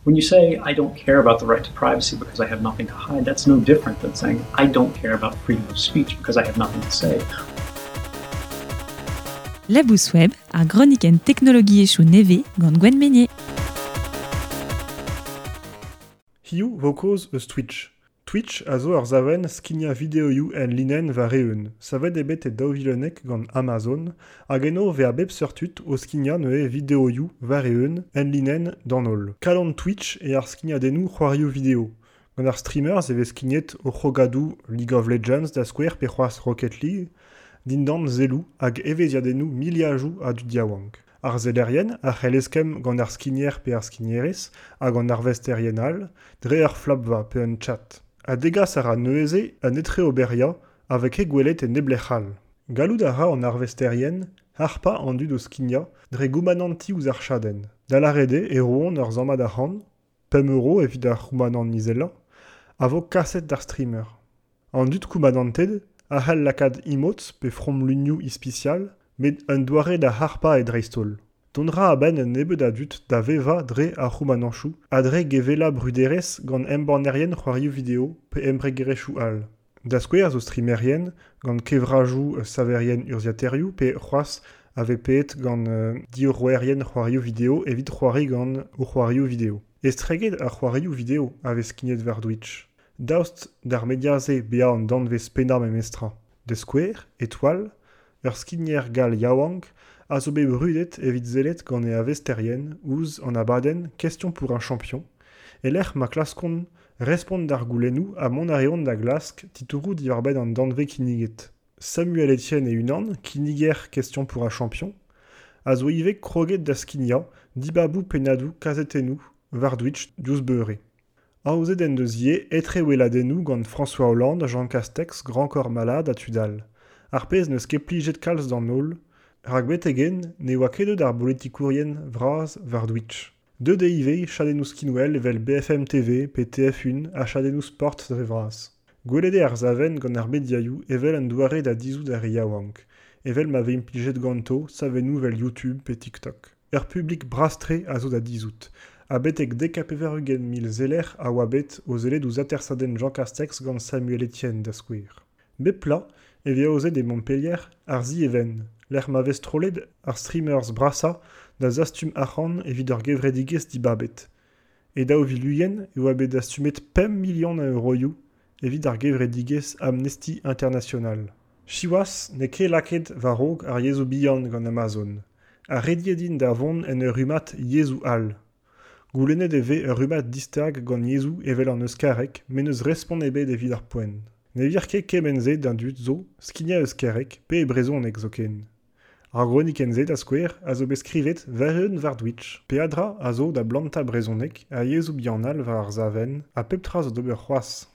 When you say, I don't care about the right to privacy because I have nothing to hide, that's no different than saying, I don't care about freedom of speech because I have nothing to say. Labous Web, ar gronikenn teknologiezhioù nevez gant Gwenn Meynier. Hiziv 'vo kaoz eus Twitch. Twitch a zo ur savenn skignañ videoioù enlinenn war-eeun. Savet eo bet e 2011 gant Amazon hag eno 'vez a bep seurt tud o skignañ neuze videoioù war-eeun enlinenn d'an holl. Kalon Twitch eo ar skignadennoù c'hoarioù video. Gant ar streamers e vez skignet o c'hrogadoù League of Legends da skouer pe c'hoazh Rocket League dindan selloù hag evezhiadennoù miliadoù a dud yaouank. Ar sellerien a c'hell eskemm gant ar skigner pe ar skignerez hag an arvesterien all dre ur flapva pe un chat. Ha degas a ra neuze un etreoberiañ a vez ket gwelet e neblec'h all. Gallout a ra an arvesterien harpañ an dud o skignañ dre goumanantiñ ouzh ar chadenn. Da lâret eo e roont ur sammad arc'hant, 5 euro evit ar c'houmanant izelañ, a vo kaset d'ar streamer. An dud koumanantet a c'hell lakaat emotes pe fromlunioù ispisial, met un doare da harpañ eo dreist-holl. Dont 'ra a-benn un nebeud a dud da vevañ dre ar c'houmanantoù ha dre gevellañ bruderezh gant embannerien c'hoarioù video pe embregerezhioù all. Da skouer zo streamerien gant kevrajoù saverien urzhiataerioù pe c'hoazh a vez paeet gant diorroerien c'hoarioù video evit c'hoari gant o c'hoarioù video. Estreget ar c'hoarioù video a vez skignet war Twitch. Daoust d'ar media-se bezañ an danvez pennañ memestra. Da skouer, Étoile, ur skigner gall yaouank a zo bet brudet evit sellet gant e arvesterien ouzh an abadenn Question pour un champion e-lec'h ma klaskont respont d'ar goulennoù ha mont a reont da glask titouroù diwar-benn an danvez kinniget. Samuel Etienne e-unan, kinniger Question pour un champion, a zo ivez kroget da skignañ dibaboù pennadoù kazetennoù war Twitch diouzh beure. Aozet en deus ivez etreweladennoù gant François Hollande, Jean Castex, Grand Corps Malade ha tud all. Ar pezh n'eus ket plijet kalz d'an holl, rak betek-henn ne oa ket deuet ar bolitikourien vras war Twitch. Deuet eo ivez chadennoù skinwel evel BFM TV pe TF1 ha chadennoù sport dre vras. Gwelet eo ar savenn gant ar mediaioù evel un doare da dizhout ar re yaouank, evel ma vez implijet ganto savennoù evel YouTube pe TikTok. Ur publik bras-tre a zo da dizhout, ha betek 90 mil seller a oa bet o sellet ouzh atersadenn Jean Castex gant Samuel Etienne da skouer. Bep bloaz e vez aozet e Montpellier ar Zi-Even, lec'h ma vez strollet ar streamers brasañ da zastum arc'hant evit ur gevredigezh dibabet. E 2020 e oa bet dastumet 5 milion a euroioù evit ar gevredigezh Amnesty International. Siwazh n'eo ket lakaet war-raok ar yezhoù bihan gant Amazon, ha rediet int da vont en ur rummad yezhoù all. Goulennet e vez ur rummad distag gant yezhoù evel an euskareg met n'eus respont ebet evit ar poent. Ne vir ket kement-se d'an dud zo skignañ euskareg pe e brezhoneg zoken. Ar gronikenn-se da skouer a zo bet skrivet war-eeun war Twitch. Peadra a zo da blantañ brezhoneg ha yezhoù bihan all war ar savenn ha pep tra zo d'ober c'hoazh.